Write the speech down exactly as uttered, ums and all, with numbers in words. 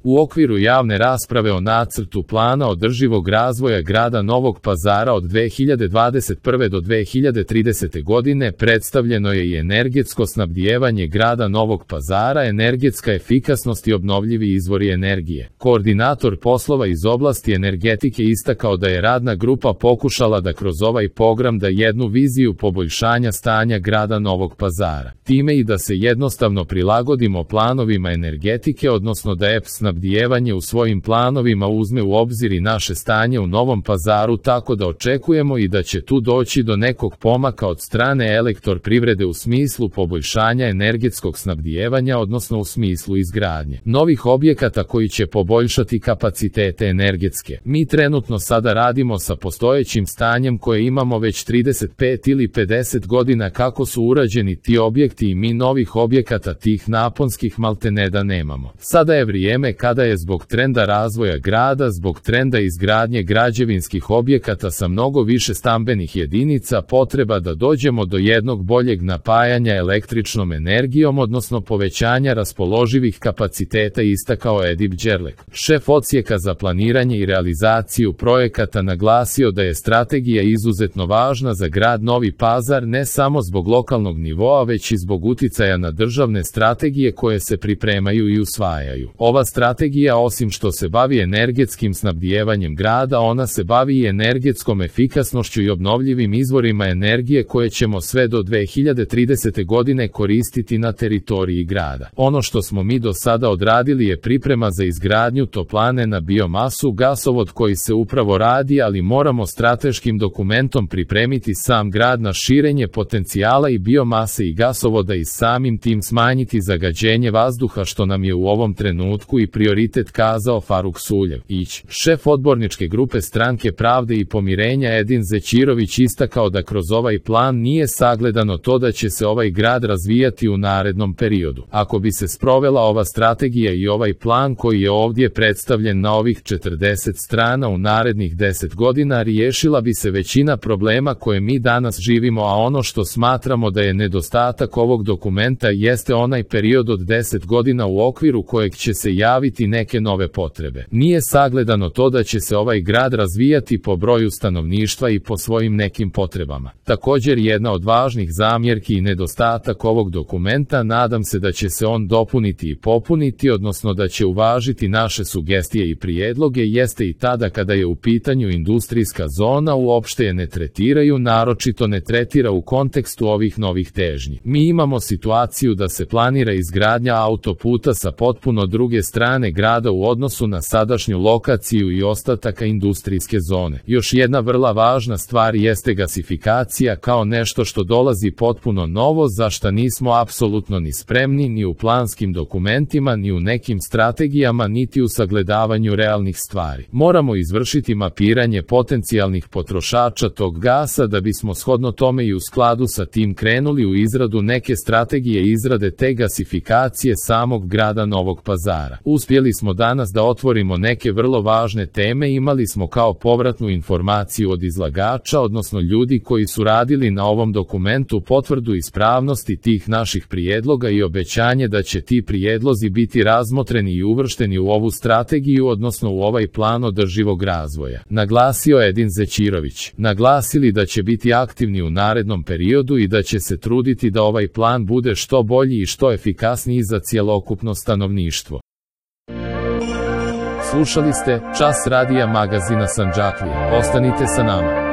U okviru javne rasprave o nacrtu plana održivog razvoja grada Novog Pazara od dve hiljade dvadeset prve do dve hiljade tridesete godine predstavljeno je i energetsko snabdijevanje grada Novog Pazara, energetska efikasnost i obnovljivi izvori energije. Koordinator poslova iz oblasti energetike istakao da je radna grupa pokušala da kroz ovaj program da jednu viziju poboljšanja stanja grada Novog Pazara, time i da se jednostavno prilagodimo planovima energetike, odnosno da E P snabdijevanje u svojim planovima uzme u obzir i naše stanje u Novom Pazaru, tako da očekujemo i da će tu doći do nekog pomaka od strane Elektroprivrede u smislu poboljšanja energetskog snabdijevanja, odnosno u smislu izgradnje novih objekata koji će poboljšati kapacitete energetske. Mi trenutno sada radimo sa postojećim stanjem koje imamo već trideset pet ili pedeset godina kako su urađeni ti objekti i mi novih objekata tih naponskih maltene da nemamo. Sada je vrijeme kada je zbog trenda razvoja grada, zbog trenda izgradnje građevinskih objekata sa mnogo više stambenih jedinica potreba da dođemo do jednog boljeg napajanja električnom energijom, odnosno povećanja raspoloživih kapaciteta, istakao Edip Đerlek, šef odsjeka za planiranje i realizaciju projekata, naglasio da je strategija izuzetno važna za grad Novi Pazar ne samo zbog lokalnog nivoa, već i zbog uticaja na državne strategije koje se pripremaju i usvajaju. Ova strategija osim što se bavi energetskim snabdijevanjem grada, ona se bavi i energetskom efikasnošću i obnovljivim izvorima energije koje ćemo sve do dve hiljade tridesete godine koristiti na teritoriji grada. Ono što smo mi do sada odradili je priprema za izgradnju toplane na biomasu, gasovod koji se upravo radi, ali moramo strateškim dokumentom pripremiti sam grad na širenje potencijala i biomase i gasovoda i samim tim smanjiti zagađenje vazduha, što nam je u ovom trenutku i prioritet, kazao Faruk Suljev Ić, šef odborničke grupe Stranke pravde i pomirenja. Edin Zećirović istakao da kroz ovaj plan nije sagledano to da će se ovaj grad razvijati u narednom periodu. Ako bi se sprovela ova strategija i ovaj plan koji je ovdje predstavljen na ovih četrdeset strana u narednih deset godina, riješila bi se većina problema koje mi danas živimo, a ono što smatramo da je nedostatak ovog dokumenta jeste onaj period od deset godina u okviru kojeg će se javiti neke nove potrebe. Nije sagledano to da će se ovaj grad razvijati po broju stanovništva i po svojim nekim potrebama. Također jedna od važnih zamjerki i nedostatak ovog dokumenta, nadam se da će se on dopuniti i popuniti, odnosno da će uvažiti naše sugestije i prijedloge, jeste i tada kada je u pitanju industrijska zona, uopšte je ne tretiraju, naročito ne tretira u kontekstu ovih novih težnji. Mi imamo situaciju da se planira izgradnja autoputa sa potpuno druge strane grada u odnosu na sadašnju lokaciju i ostataka industrijske zone. Još jedna vrlo važna stvar jeste gasifikacija kao nešto što dolazi potpuno novo, za šta nismo apsolutno ni spremni ni u planskim dokumentima, ni u nekim strategijama, niti u sagledavanju realnih stvari. Moramo izvršiti mapiranje potencijalnih potrošača tog gasa da bismo shodno tome i u skladu sa tim krenuli u izradu neke strategije izrade te gasifikacije samog grada Novog Pazara. Uspjeli smo danas da otvorimo neke vrlo važne teme, imali smo kao povratnu informaciju od izlagača, odnosno ljudi koji su radili na ovom dokumentu, potvrdu ispravnosti tih naših prijedloga i obećanje da će ti prijedlozi biti razmotreni i uvršteni u ovu strategiju, odnosno u ovaj plan održivog razvoja, naglasio Edin Zećirović. Naglasili da će biti aktivni u narednom periodu i da će se truditi da ovaj plan bude što bolji i što efikasniji za cjelokupno stanovništvo. Slušali ste Čas radija magazina Sandžaklija. Ostanite sa nama.